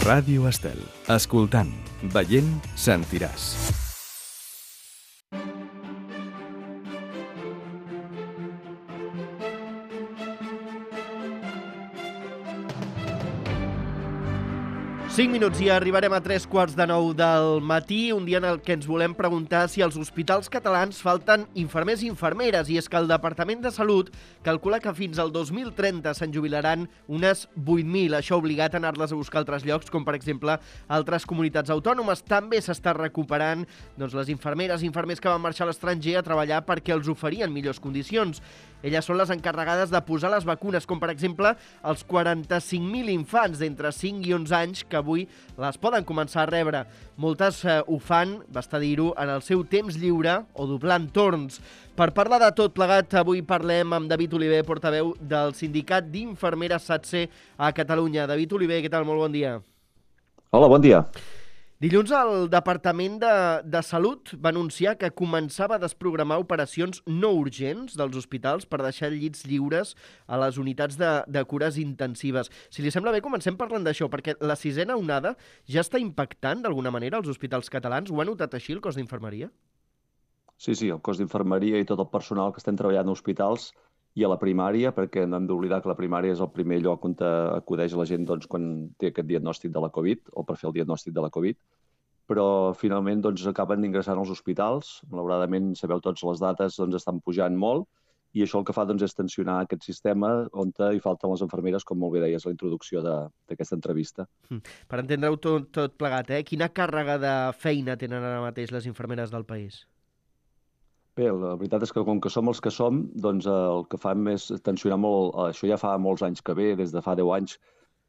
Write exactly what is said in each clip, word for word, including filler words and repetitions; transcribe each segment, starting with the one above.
Ràdio Estel. Escoltant, veient, sentiràs. cinc minuts i arribarem a tres quarts de nou del matí, un dia en el que ens volem preguntar si als hospitals catalans falten infermers i infermeres, i és que el Departament de Salut calcula que fins al dos mil trenta se'n jubilaran unes vuit mil. Això ha obligat a anar-les a buscar a altres llocs, com per exemple altres comunitats autònomes. També s'està recuperant doncs, les infermeres i infermers que van marxar a l'estranger a treballar perquè els oferien millors condicions. Elles són les encarregades de posar les vacunes, com per exemple els quaranta-cinc mil infants d'entre cinc i onze anys que avui les poden començar a rebre. Moltes eh, ho fan, basta dir-ho, en el seu temps lliure o doblant torns. Per parlar de tot plegat, avui parlem amb David Oliver, portaveu del Sindicat d'Infermeres SATSE a Catalunya. David Oliver, què tal? Molt bon dia. Hola, bon dia. Dilluns el Departament de, de Salut va anunciar que començava a desprogramar operacions no urgents dels hospitals per deixar llits lliures a les unitats de, de cures intensives. Si li sembla bé, comencem parlant d'això, perquè la sisena onada ja està impactant d'alguna manera als hospitals catalans. Ho ha notat així el cos d'infermeria? Sí, sí, el cos d'infermeria i tot el personal que estem treballant a hospitals i a la primària, perquè no hem d'oblidar que la primària és el primer lloc on acudeix la gent doncs, quan té aquest diagnòstic de la Covid o per fer el diagnòstic de la Covid, però finalment doncs, acaben ingressant als hospitals. Malauradament, sabeu tots, les dates doncs, estan pujant molt i això el que fa doncs, és tensionar aquest sistema on hi falten les infermeres, com molt bé deies a la introducció d'aquesta entrevista. Per entendre-ho tot, tot plegat, eh? Quina càrrega de feina tenen ara mateix les infermeres del país? Bé, la veritat és que com que som els que som, doncs el que fem és tensionar molt. Això ja fa molts anys que ve, des de fa deu anys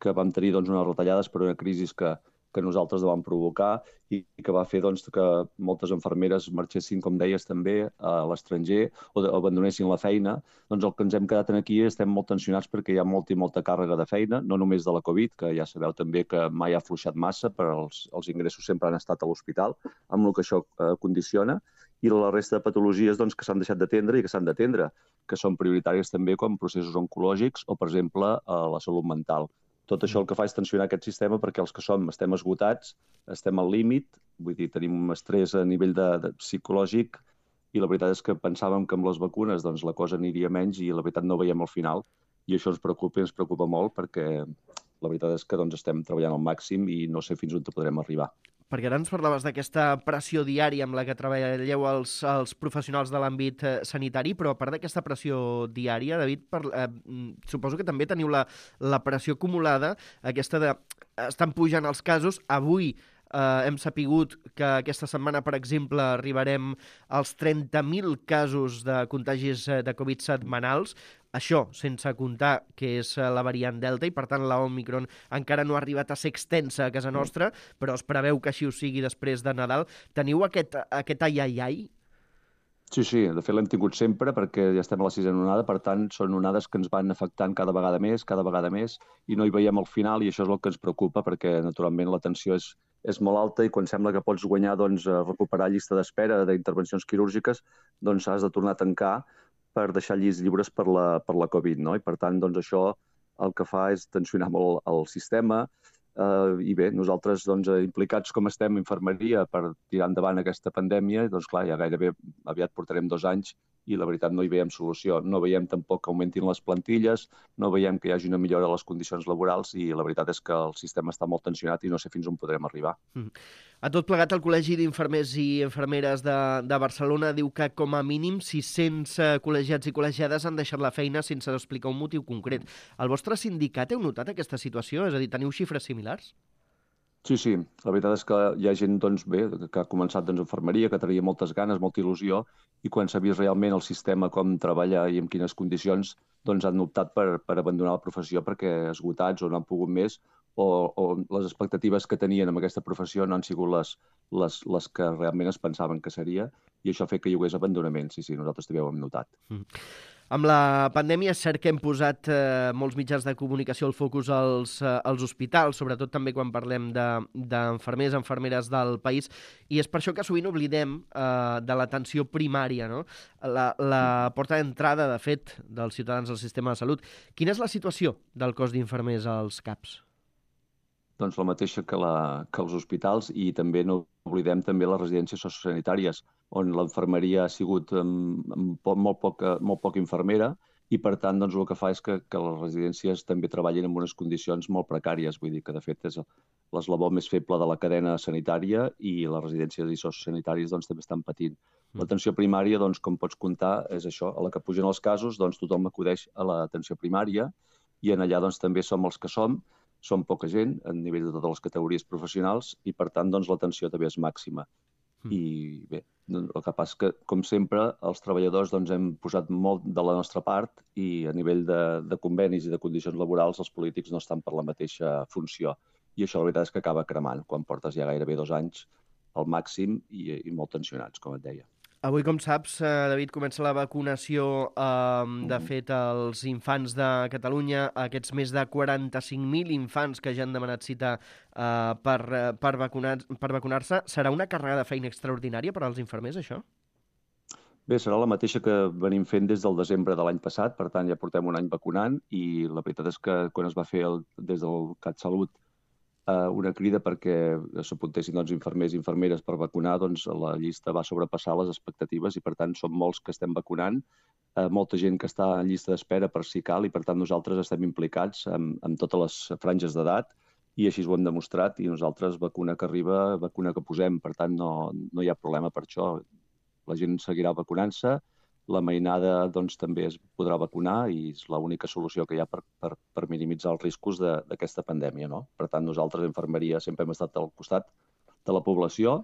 que vam tenir doncs, unes retallades per una crisi que, que nosaltres vam provocar i que va fer doncs, que moltes infermeres marxessin, com deies també, a l'estranger o abandonessin la feina. Doncs el que ens hem quedat aquí estem molt tensionats perquè hi ha molta i molta càrrega de feina, no només de la Covid, que ja sabeu també que mai ha afluixat massa, però els, els ingressos sempre han estat a l'hospital, amb el que això eh, condiciona, i la resta de patologies doncs, que s'han deixat d'atendre i que s'han d'atendre, que són prioritàries també com processos oncològics o, per exemple, la salut mental. Tot això el que fa és tensionar aquest sistema perquè els que som estem esgotats, estem al límit, vull dir, tenim un estrès a nivell de, de psicològic i la veritat és que pensàvem que amb les vacunes doncs, la cosa aniria menys i la veritat no veiem al final i això ens preocupa i ens preocupa molt perquè la veritat és que doncs, estem treballant al màxim i no sé fins on podrem arribar. Perquè ara ens parlaves d'aquesta pressió diària amb la que treballeu els, els professionals de l'àmbit eh, sanitari, però a part d'aquesta pressió diària, David, per, eh, suposo que també teniu la, la pressió acumulada, aquesta de... estan pujant els casos. Avui eh, hem sapigut que aquesta setmana, per exemple, arribarem als trenta mil casos de contagis de Covid setmanals. Això sense comptar que és la variant Delta i, per tant, la Omicron encara no ha arribat a ser extensa a casa nostra, però es preveu que així ho sigui després de Nadal. Teniu aquest, aquest ai-ai-ai? Sí, sí, de fet l'hem tingut sempre perquè ja estem a la sisena onada, per tant són onades que ens van afectant cada vegada més, cada vegada més, i no hi veiem el final i això és el que ens preocupa perquè naturalment la tensió és, és molt alta i quan sembla que pots guanyar, doncs, recuperar llista d'espera d'intervencions quirúrgiques, doncs has de tornar a tancar per deixar llits lliures per la, per la Covid, no? I per tant, doncs, això el que fa és tensionar molt el sistema eh, i bé, nosaltres doncs, implicats com estem en infermeria per tirar endavant aquesta pandèmia, doncs clar, ja gairebé aviat portarem dos anys i la veritat no hi veiem solució. No veiem tampoc que augmentin les plantilles, no veiem que hi hagi una millora de les condicions laborals i la veritat és que el sistema està molt tensionat i no sé fins on podrem arribar. Mm. A tot plegat, el Col·legi d'Infermers i Infermeres de, de Barcelona diu que com a mínim sis-cents col·legiats i col·legiades han deixat la feina sense explicar un motiu concret. El vostre sindicat heu notat aquesta situació? És a dir, teniu xifres similars? Sí, sí. La veritat és que hi ha gent doncs, bé, que ha començat doncs, infermeria, que tenia moltes ganes, molta il·lusió, i quan s'ha vist realment el sistema, com treballa i en quines condicions, doncs han optat per, per abandonar la professió perquè esgotats o no han pogut més o, o les expectatives que tenien amb aquesta professió no han sigut les, les, les que realment es pensaven que seria i això ha fet que hi hagués abandonament. Sí, sí, nosaltres també ho hem notat. Mm. Amb la pandèmia és cert que hem posat eh, molts mitjans de comunicació al focus als, eh, als hospitals, sobretot també quan parlem d'enfermers, de, infermeres del país, i és per això que sovint oblidem eh, de l'atenció primària, no? La, la porta d'entrada, de fet, dels ciutadans al sistema de salut. Quina és la situació del cos d'infermers als CAPs? doncs, la mateixa que, la, que els hospitals, i també no oblidem també les residències sociosanitàries, on l'infermeria ha sigut amb, amb po molt, poca, molt poca infermera, i per tant doncs, el que fa és que, que les residències també treballin en unes condicions molt precàries. Vull dir que de fet és l'eslabó més feble de la cadena sanitària, i les residències i sociosanitàries doncs, també estan patint. L'atenció primària, doncs, com pots comptar, és això. A la que pugen els casos, doncs, tothom acudeix a l'atenció primària, i en allà doncs, també som els que som. Som poca gent a nivell de totes les categories professionals, i per tant doncs, l'atenció també és màxima. Mm. I bé, el que passa és que, com sempre, els treballadors doncs, hem posat molt de la nostra part, i a nivell de, de convenis i de condicions laborals els polítics no estan per la mateixa funció. I això la veritat és que acaba cremant quan portes ja gairebé dos anys al màxim i, i molt tensionats, com et deia. Avui, com saps, David, comença la vacunació, eh, de fet, als infants de Catalunya, aquests més de quaranta-cinc mil infants que ja han demanat cita eh, per, per vacunar, per vacunar-se. Serà una càrrega de feina extraordinària per als infermers, això? Bé, serà la mateixa que venim fent des del desembre de l'any passat, per tant ja portem un any vacunant, i la veritat és que quan es va fer el, des del CatSalut una crida perquè s'apuntessin doncs, infermers i infermeres per vacunar, doncs la llista va sobrepassar les expectatives, i per tant som molts que estem vacunant, eh, molta gent que està en llista d'espera per si cal, i per tant nosaltres estem implicats en, en totes les franges d'edat, i així ho hem demostrat, i nosaltres vacuna que arriba, vacuna que posem, per tant no, no hi ha problema per això. La gent seguirà vacunant-se, la mainada doncs, també es podrà vacunar, i és l'única solució que hi ha per, per, per minimitzar els riscos d'aquesta pandèmia, no? Per tant, nosaltres, a Infermeria, sempre hem estat al costat de la població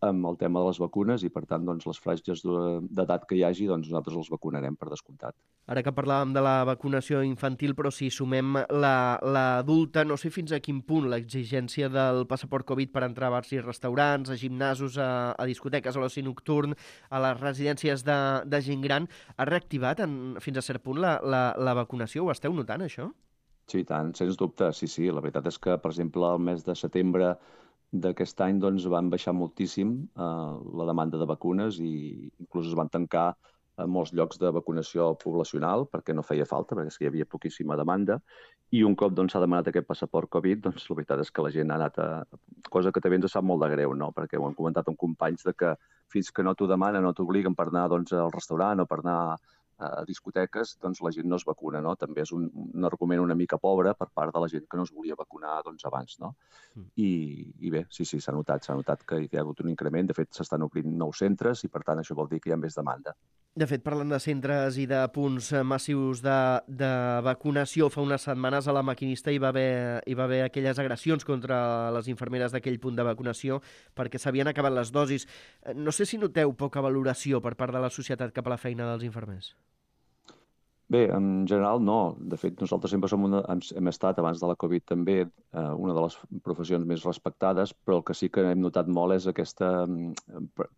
amb el tema de les vacunes, i per tant, doncs, les franges d'edat que hi hagi, doncs, nosaltres els vacunarem per descomptat. Ara que parlàvem de la vacunació infantil, però si sumem l'adulta, la, no sé fins a quin punt l'exigència del passaport Covid per entrar a bars i restaurants, a gimnasos, a, a discoteques, a l'oci nocturn, a les residències de, de gent gran, ha reactivat en, fins a cert punt la, la, la vacunació? Ho esteu notant, això? Sí, tant, sens dubte, sí, sí. La veritat és que, per exemple, el mes de setembre d'aquest any doncs, van baixar moltíssim eh, la demanda de vacunes, i inclús es van tancar a molts llocs de vacunació poblacional perquè no feia falta, perquè hi havia poquíssima demanda, i un cop doncs, s'ha demanat aquest passaport Covid, doncs la veritat és que la gent ha anat a... cosa que també ens sap molt de greu, no? Perquè ho hem comentat amb companys de que fins que no t'ho demanen, no t'obliguen per anar doncs, al restaurant o per anar a discoteques, doncs la gent no es vacuna, no? També és un, un argument una mica pobre per part de la gent que no es volia vacunar doncs, abans, no? Mm. I, I bé, sí, sí, s'ha notat, s'ha notat que hi ha hagut un increment. De fet, s'estan obrint nous centres, i per tant això vol dir que hi ha més demanda. De fet, parlant de centres i de punts massius de, de vacunació, fa unes setmanes a La Maquinista hi va haver, hi va haver aquelles agressions contra les infermeres d'aquell punt de vacunació perquè s'havien acabat les dosis. No sé si noteu poca valoració per part de la societat cap a la feina dels infermers. Bé, en general no. De fet, nosaltres sempre som una, hem estat, abans de la Covid també, eh, una de les professions més respectades, però el que sí que hem notat molt és aquesta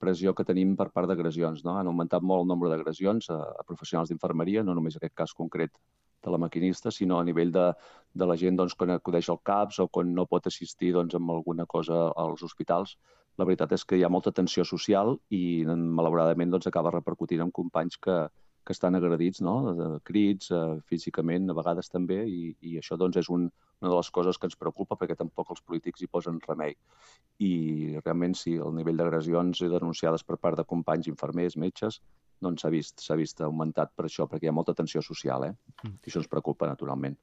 pressió que tenim per part d'agressions, no? Han augmentat molt el nombre d'agressions a, a professionals d'infermeria, no només en aquest cas concret de La Maquinista, sinó a nivell de, de la gent doncs, quan acudeix al CAPS o quan no pot assistir doncs, amb alguna cosa als hospitals. La veritat és que hi ha molta tensió social i, malauradament, doncs, acaba repercutint en companys que que estan agredits, no? De crits, eh, físicament, a vegades també, i, i això doncs, és un, una de les coses que ens preocupa, perquè tampoc els polítics hi posen remei. I realment sí, el nivell d'agressions denunciades per part de companys, infermers, metges, doncs s'ha vist, s'ha vist augmentat per això, perquè hi ha molta tensió social, eh? Mm. I això ens preocupa, naturalment.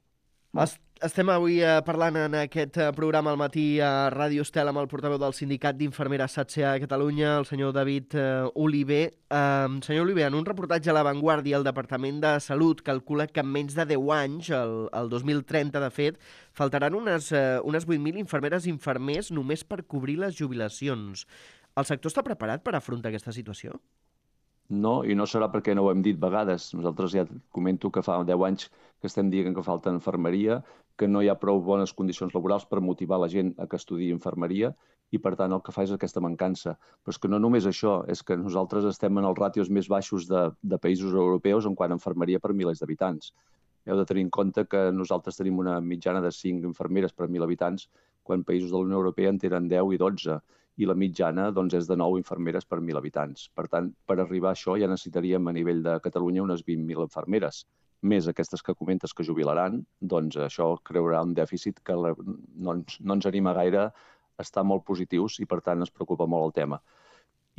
Estem avui eh, parlant en aquest programa al matí a Ràdio Estel amb el portaveu del Sindicat d'Infermeres S A T S E a Catalunya, el senyor David eh, Oliver. Eh, senyor Oliver, en un reportatge a La Vanguardia, el Departament de Salut calcula que en menys de deu anys, el, el dos mil trenta de fet, faltaran unes, eh, unes vuit mil infermeres i infermers només per cobrir les jubilacions. El sector està preparat per afrontar aquesta situació? No, i no serà perquè no ho hem dit vegades. Nosaltres ja comento que fa deu anys que estem dient que falta infermeria, que no hi ha prou bones condicions laborals per motivar la gent a que estudiï infermeria, i per tant el que fa és aquesta mancança. Però és que no només això, és que nosaltres estem en els ràtios més baixos de, de països europeus en quant a infermeria per milers d'habitants. Heu de tenir en compte que nosaltres tenim una mitjana de cinc infermeres per mil habitants, quan països de la Unió Europea en tenen deu i dotze. I la mitjana doncs, és de nou infermeres per mil habitants. Per tant, per arribar a això ja necessitaríem a nivell de Catalunya unes vint mil infermeres. més aquestes que comentes que jubilaran, doncs això creurà un dèficit que no ens, no ens anima gaire a estar molt positius i, per tant, ens preocupa molt el tema.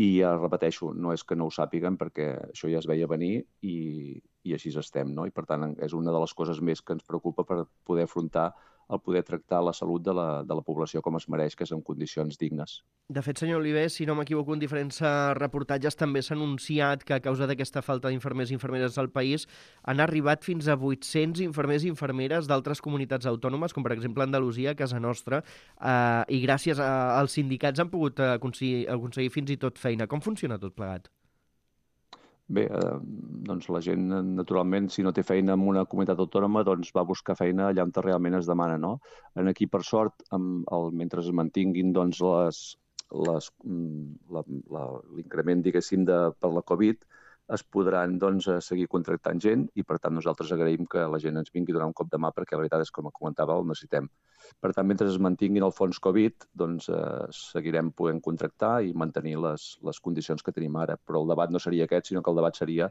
I ja repeteixo, no és que no ho sàpiguen, perquè això ja es veia venir i, i així estem, no? I, per tant, és una de les coses més que ens preocupa per poder afrontar el poder tractar la salut de la, de la població com es mereix, que és en condicions dignes. De fet, senyor Oliver, si no m'equivoco, en diferents reportatges també s'ha anunciat que a causa d'aquesta falta d'infermers i infermeres al país han arribat fins a vuit-cents infermers i infermeres d'altres comunitats autònomes, com per exemple Andalusia, a casa nostra, eh, i gràcies a, als sindicats han pogut aconseguir, aconseguir fins i tot feina. Com funciona tot plegat? Bé, eh, doncs la gent, naturalment, si no té feina en una comunitat autònoma, doncs va buscar feina allà on realment es demana, no? En aquí, per sort, amb el, mentre es mantinguin doncs, les, les, l'increment, diguéssim, de, per la Covid, es podran doncs, seguir contractant gent i, per tant, nosaltres agraïm que la gent ens vingui a donar un cop de mà perquè la veritat és, com comentava, el necessitem. Per tant, mentre es mantinguin el fons Covid, doncs eh, seguirem podent contractar i mantenir les, les condicions que tenim ara. Però el debat no seria aquest, sinó que el debat seria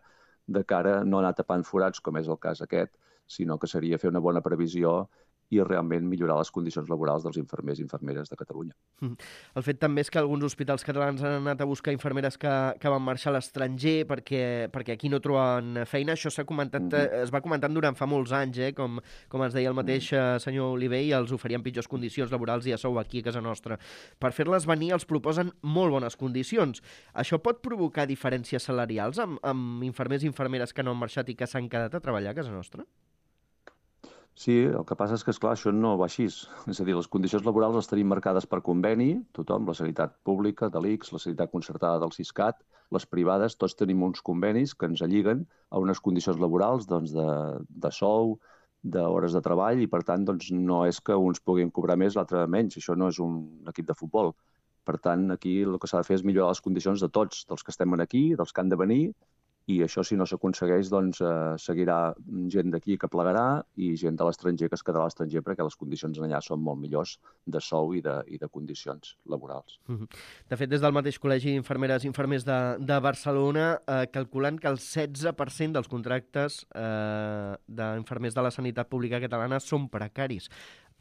de cara no anar tapant forats, com és el cas aquest, sinó que seria fer una bona previsió i realment millorar les condicions laborals dels infermers i infermeres de Catalunya. El fet també és que alguns hospitals catalans han anat a buscar infermeres que, que van marxar a l'estranger perquè, perquè aquí no troben feina. Això s'ha comentat, mm-hmm. es va comentant durant fa molts anys, eh? com, com ens deia el mateix mm-hmm. senyor Oliver, i els oferien pitjors condicions laborals i a sou aquí a casa nostra. Per fer-les venir els proposen molt bones condicions. Això pot provocar diferències salarials amb, amb infermers i infermeres que no han marxat i que s'han quedat a treballar a casa nostra? Sí, el que passa és que, esclar, això no va així. És a dir, les condicions laborals les tenim marcades per conveni, tothom, la sanitat pública, de l'I C S, la sanitat concertada del Siscat, les privades, tots tenim uns convenis que ens alliguen a unes condicions laborals doncs, de, de sou, d'hores de treball, i per tant doncs, no és que uns puguin cobrar més, l'altre menys. Això no és un equip de futbol. Per tant, aquí el que s'ha de fer és millorar les condicions de tots, dels que estem aquí, dels que han de venir, i això, si no s'aconsegueix, doncs eh, seguirà gent d'aquí que plegarà i gent de l'estranger que es quedarà a l'estranger perquè les condicions allà són molt millors de sou i de, i de condicions laborals. De fet, des del mateix Col·legi d'Infermeres i Infermers de, de Barcelona eh, calculen que el setze per cent dels contractes eh, d'infermers de la sanitat pública catalana són precaris.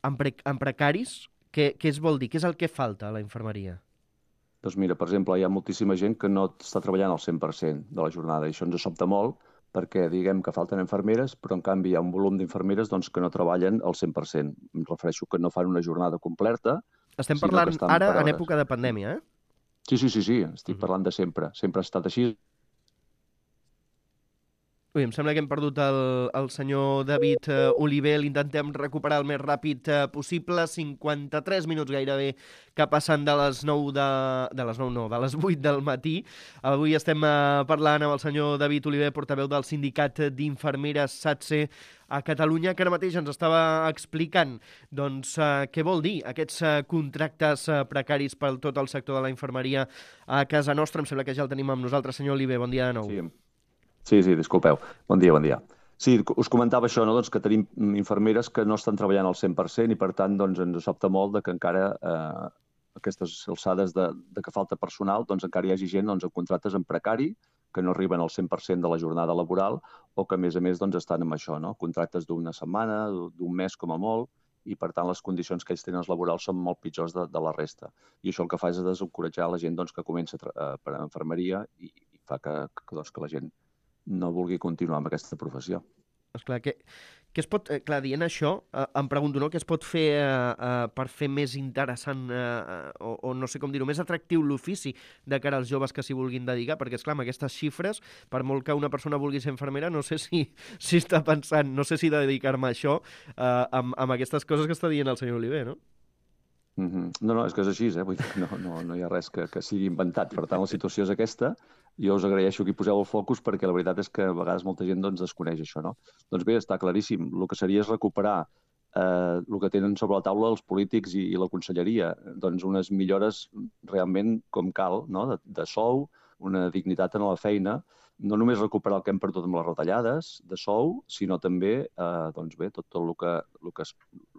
En, pre en precaris, què, què es vol dir? Què és el que falta a la infermeria? Doncs mira, per exemple, hi ha moltíssima gent que no està treballant al cent per cent de la jornada i això ens sobta molt perquè diguem que falten infermeres, però en canvi hi ha un volum d'infermeres doncs, que no treballen al cent per cent. Em refereixo que no fan una jornada completa. Estem parlant ara en època de pandèmia, eh? Sí, sí, sí, sí. Estic uh-huh. parlant de sempre. Sempre ha estat així. Ui, em sembla que hem perdut el, el senyor David uh, Oliver. L'intentem recuperar el més ràpid uh, possible. cinquanta-tres minuts gairebé que passen de les nou de... de les nou no, de les vuit del matí. Avui estem uh, parlant amb el senyor David Oliver, portaveu del Sindicat d'Infermeres SATSE a Catalunya, que ara mateix ens estava explicant doncs, uh, què vol dir aquests uh, contractes uh, precaris per tot el sector de la infermeria a casa nostra. Em sembla que ja el tenim amb nosaltres. Senyor Oliver, bon dia de nou. Sí. Sí, sí, disculpeu. Bon dia, bon dia. Sí, us comentava això, no? doncs que tenim infermeres que no estan treballant al cent per cent i, per tant, doncs, ens sobta molt de que encara eh, aquestes alçades de, de que falta personal, doncs encara hi hagi gent doncs, en contractes en precari, que no arriben al cent per cent de la jornada laboral o que, a més a més, doncs, estan amb això, no? Contractes d'una setmana, d'un mes com a molt, i, per tant, les condicions que ells tenen laborals són molt pitjors de, de la resta. I això el que fa és desencoratjar la gent doncs, que comença a, per a infermeria i, i fa que, que, doncs, que la gent no vulgui continuar amb aquesta professió. Esclar, que, que es pot, eh, clar, dient això, eh, em pregunto, no?, què es pot fer eh, eh, per fer més interessant eh, o, o no sé com dir-ho, més atractiu l'ofici de cara als joves que s'hi vulguin dedicar, perquè, esclar, amb aquestes xifres, per molt que una persona vulgui ser infermera, no sé si, si està pensant, no sé si dedicar-me a això eh, amb, amb aquestes coses que està dient el senyor Oliver, no? Mm-hmm. No, no, és que és així, eh? Vull dir, no, no, no hi ha res que, que sigui inventat. Per tant, la situació és aquesta. Jo us agraeixo que hi poseu el focus perquè la veritat és que a vegades molta gent doncs, desconeix això, no? Doncs bé, està claríssim. El que seria és recuperar eh, el que tenen sobre la taula els polítics i, i la conselleria. Doncs unes millores realment com cal, no? de, de sou, una dignitat en la feina, no només recuperar el que hem perdut amb les retallades de sou, sinó també eh, doncs bé, tot, tot el que, el que,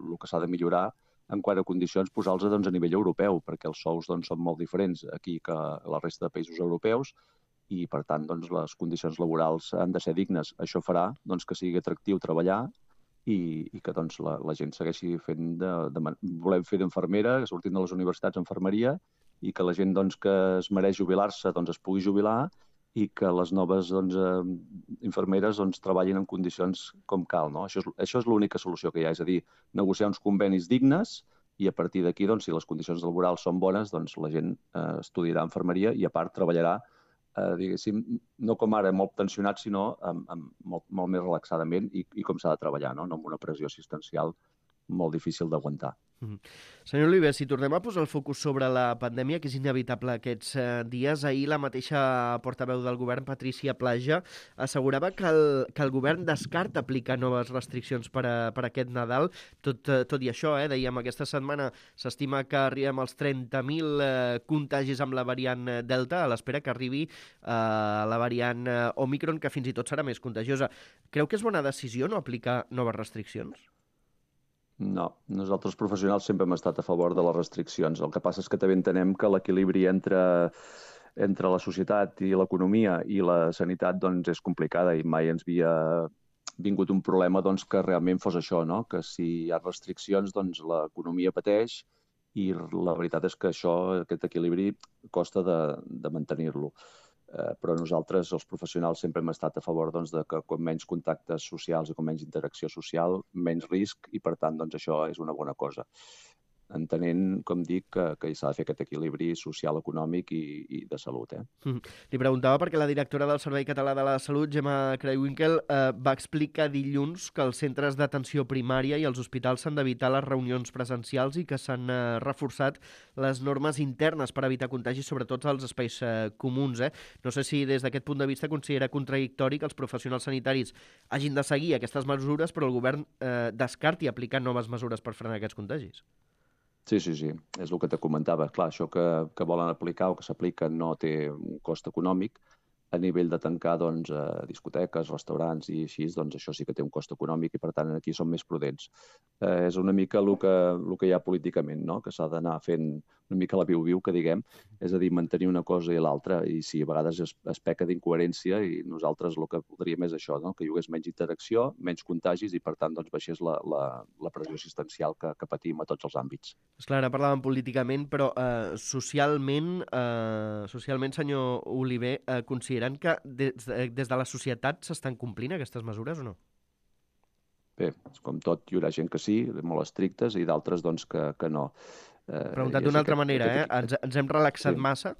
el que s'ha de millorar en quant a condicions, posar-los doncs, a nivell europeu, perquè els sous doncs, són molt diferents aquí que a la resta de països europeus i, per tant, doncs, les condicions laborals han de ser dignes. Això farà doncs, que sigui atractiu treballar i, i que doncs, la, la gent segueixi fent de, de... Volem fer d'infermera, que sortim de les universitats d'infermeria, i que la gent doncs, que es mereix jubilar-se doncs, es pugui jubilar i que les noves doncs, eh, infermeres doncs, treballin en condicions com cal. No? Això és, això és l'única solució que hi ha, és a dir, negociar uns convenis dignes i a partir d'aquí, doncs, si les condicions laborals són bones, doncs, la gent eh, estudiarà infermeria i a part treballarà, eh, diguéssim, no com ara molt tensionat, sinó amb, amb molt, molt més relaxadament i, i com s'ha de treballar, no? No amb una pressió assistencial molt difícil d'aguantar. Mm-hmm. Senyor Oliver, si tornem a posar el focus sobre la pandèmia, que és inevitable aquests eh, dies, ahir la mateixa portaveu del govern, Patrícia Plaja, assegurava que el, que el govern descarta aplicar noves restriccions per a, per a aquest Nadal. Tot, eh, tot i això, eh, dèiem, aquesta setmana s'estima que arribem als trenta mil eh, contagis amb la variant Delta, a l'espera que arribi eh, la variant eh, Omicron, que fins i tot serà més contagiosa. Creu que és bona decisió no aplicar noves restriccions? No, nosaltres professionals sempre hem estat a favor de les restriccions. El que passa és que també entenem que l'equilibri entre, entre la societat i l'economia i la sanitat doncs, és complicada i mai ens havia vingut un problema doncs, que realment fos això, no? Que si hi ha restriccions doncs, l'economia pateix i la veritat és que això, aquest equilibri costa de, de mantenir-lo. Eh, però nosaltres, els professionals, sempre hem estat a favor doncs, de que com menys contactes socials i com menys interacció social, menys risc, i per tant doncs, això és una bona cosa. Entenent, com dic, que, que s'ha de fer aquest equilibri social, econòmic i, i de salut. Eh? Mm. Li preguntava perquè la directora del Servei Català de la Salut, Gemma Creuwinkel, eh, va explicar dilluns que els centres d'atenció primària i els hospitals s'han d'evitar les reunions presencials i que s'han eh, reforçat les normes internes per evitar contagis, sobretot als espais eh, comuns. Eh? No sé si des d'aquest punt de vista considera contradictori que els professionals sanitaris hagin de seguir aquestes mesures, però el govern eh, descarti aplicar noves mesures per frenar aquests contagis. Sí, sí, sí, és el que te comentava. Clar, això que, que volen aplicar o que s'aplica no té un cost econòmic. A nivell de tancar doncs, eh, discoteques, restaurants i així, doncs això sí que té un cost econòmic i per tant aquí som més prudents. Eh, és una mica el que, el que hi ha políticament, no? Que s'ha d'anar fent una mica la viu-viu, que diguem, és a dir, mantenir una cosa i l'altra, i sí, a vegades es, es peca d'incoherència i nosaltres el que voldríem és això, no? Que hi hagués menys interacció, menys contagis i per tant doncs, baixés la, la, la pressió assistencial que, que patim a tots els àmbits. Esclar, ara parlàvem políticament, però eh, socialment, eh, socialment, senyor Oliver, eh, consideren que des de, des de la societat s'estan complint aquestes mesures o no? Bé, com tot, hi haurà gent que sí, molt estrictes, i d'altres doncs, que, que no. Eh, Preguntat d'una altra manera, aquest, eh? Ens, ens hem relaxat sí. massa?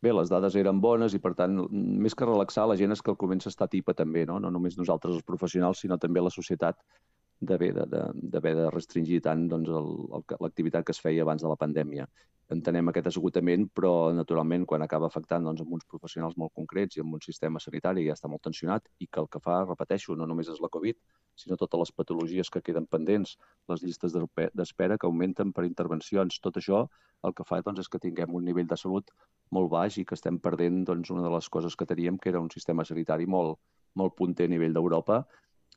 Bé, les dades eren bones i, per tant, més que relaxar, la gent és que el comença a estar tipa també, no? No només nosaltres els professionals, sinó també la societat d'haver de, de, d'haver de restringir tant doncs, l'activitat que es feia abans de la pandèmia. Entenem aquest esgotament, però, naturalment, quan acaba afectant doncs, amb uns professionals molt concrets i amb un sistema sanitari que ja està molt tensionat i que el que fa, repeteixo, no només és la Covid, sinó totes les patologies que queden pendents, les llistes d'espera que augmenten per intervencions. Tot això el que fa doncs, és que tinguem un nivell de salut molt baix i que estem perdent doncs, una de les coses que teníem, que era un sistema sanitari molt, molt punter a nivell d'Europa,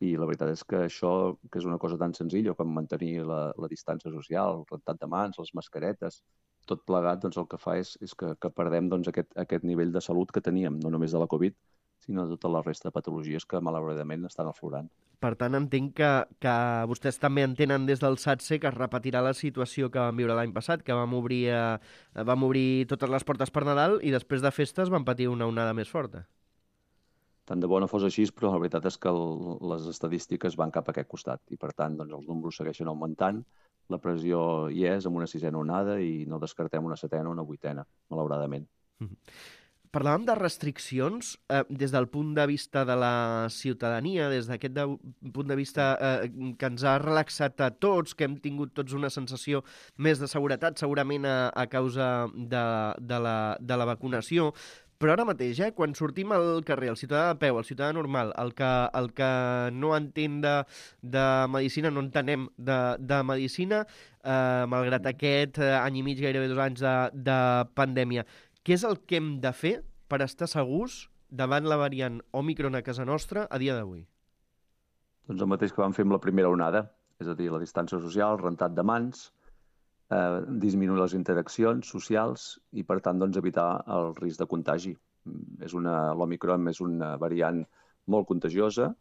i la veritat és que això, que és una cosa tan senzilla com mantenir la, la distància social, el rentat de mans, les mascaretes, tot plegat doncs, el que fa és, és que, que perdem doncs, aquest, aquest nivell de salut que teníem, no només de la Covid, sinó de tota la resta de patologies que malauradament estan aflorant. Per tant, entenc que, que vostès també entenen des del SATSE que es repetirà la situació que vam viure l'any passat, que vam obrir, eh, vam obrir totes les portes per Nadal i després de festes vam patir una onada més forta. Tant de bo no fos així, però la veritat és que el, les estadístiques van cap a aquest costat i, per tant, doncs, els números segueixen augmentant, la pressió hi és amb una sisena onada i no descartem una setena o una vuitena, malauradament. Mm-hmm. Parlàvem de restriccions eh, des del punt de vista de la ciutadania, des d'aquest de, punt de vista eh, que ens ha relaxat a tots, que hem tingut tots una sensació més de seguretat, segurament a, a causa de, de, la, de la vacunació. Però ara mateix, eh, quan sortim al carrer, el ciutadà de peu, el ciutadà normal, el que, el que no entén de, de medicina, no entenem de, de medicina, eh, malgrat aquest eh, any i mig, gairebé dos anys de, de pandèmia. Què és el que hem de fer per estar segurs davant la variant Omicron a casa nostra a dia d'avui? Doncs el mateix que vam fer amb la primera onada, és a dir, la distància social, rentat de mans, eh, disminuir les interaccions socials i, per tant, doncs, evitar el risc de contagi. És una, l'Omicron és una variant molt contagiosa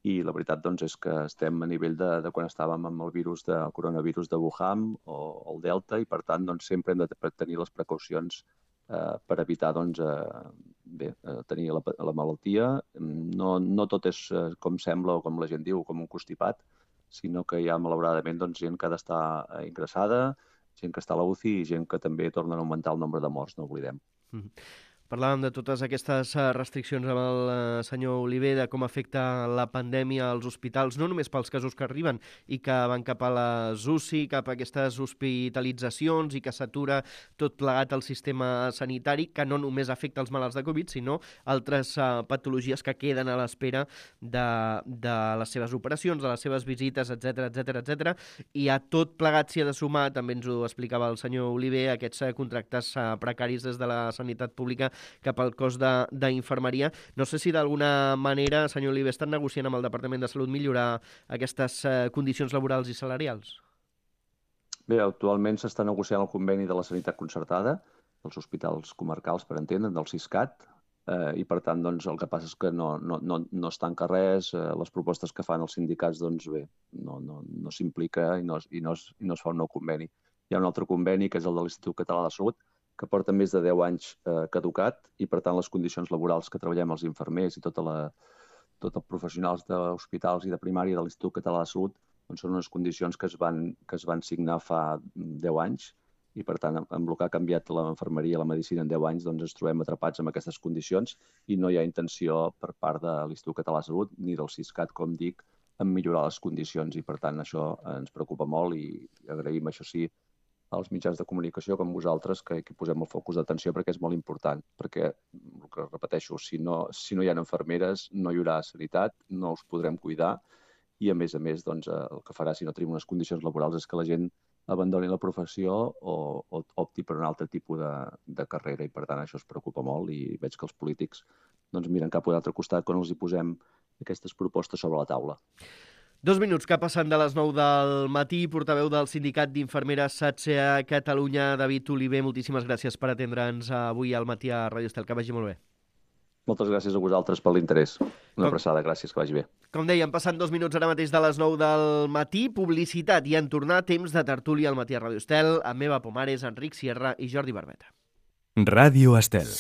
i la veritat doncs, és que estem a nivell de, de quan estàvem amb el virus de el coronavirus de Wuhan o el Delta i, per tant, doncs, sempre hem de tenir les precaucions eh, per evitar doncs, eh, bé, eh, tenir la, la malaltia. No, no tot és eh, com sembla o com la gent diu, com un constipat, sinó que hi ha, malauradament, doncs, gent que ha d'estar ingressada, gent que està a la U C I i gent que també torna a augmentar el nombre de morts, no oblidem. Mm-hmm. Parlàvem de totes aquestes restriccions amb el senyor Oliver, de com afecta la pandèmia als hospitals, no només pels casos que arriben i que van cap a les U C I, cap a aquestes hospitalitzacions i que s'atura tot plegat al sistema sanitari, que no només afecta els malalts de Covid, sinó altres uh, patologies que queden a l'espera de, de les seves operacions, de les seves visites, etcètera, etcètera, etcètera. I a tot plegat s'hi ha de sumar, també ens ho explicava el senyor Oliver, aquests uh, contractes uh, precaris des de la sanitat pública cap al cos d'infermeria. No sé si d'alguna manera, senyor Oliver, estan negociant amb el Departament de Salut millorar aquestes eh, condicions laborals i salarials? Bé, actualment s'està negociant el conveni de la sanitat concertada, dels hospitals comarcals, per entendre, del Siscat, eh, i per tant doncs, el que passa és que no, no, no, no es tanca res, eh, les propostes que fan els sindicats doncs, bé, no, no, no s'implica i, no, i, no es, i no es fa un nou conveni. Hi ha un altre conveni, que és el de l'Institut Català de Salut, que porta més de deu anys eh, caducat i, per tant, les condicions laborals que treballem els infermers i tota la, tot els professionals d'hospitals i de primària de l'Institut Català de Salut doncs són unes condicions que es van, que es van signar fa deu anys i, per tant, amb el que ha canviat l'infermeria i la medicina en deu anys, doncs ens trobem atrapats amb aquestes condicions i no hi ha intenció per part de l'Institut Català de Salut ni del Siscat, com dic, en millorar les condicions i, per tant, això ens preocupa molt i agraïm, això sí, als mitjans de comunicació com vosaltres que, que posem el focus d'atenció perquè és molt important, perquè, el que repeteixo, si no, si no hi ha infermeres no hi haurà sanitat, no us podrem cuidar i, a més a més, doncs, el que farà si no tenim unes condicions laborals és que la gent abandoni la professió o, o opti per un altre tipus de, de carrera i, per tant, això es preocupa molt i veig que els polítics doncs, miren cap a l'altre costat quan els hi posem aquestes propostes sobre la taula. Dos minuts que passen de les nou del matí, portaveu del Sindicat d'Infermeres S A T S E a Catalunya, David Oliver, moltíssimes gràcies per atendre'ns avui al matí a Ràdio Estel. Que vagi molt bé. Moltes gràcies a vosaltres per l'interès. Una abraçada, gràcies, que vagi bé. Com dèiem, passant dos minuts ara mateix de les nou del matí, publicitat i en tornar temps de tertúlia al matí a Ràdio Estel, amb Eva Pomares, Enric Sierra i Jordi Barbeta. Ràdio Estel.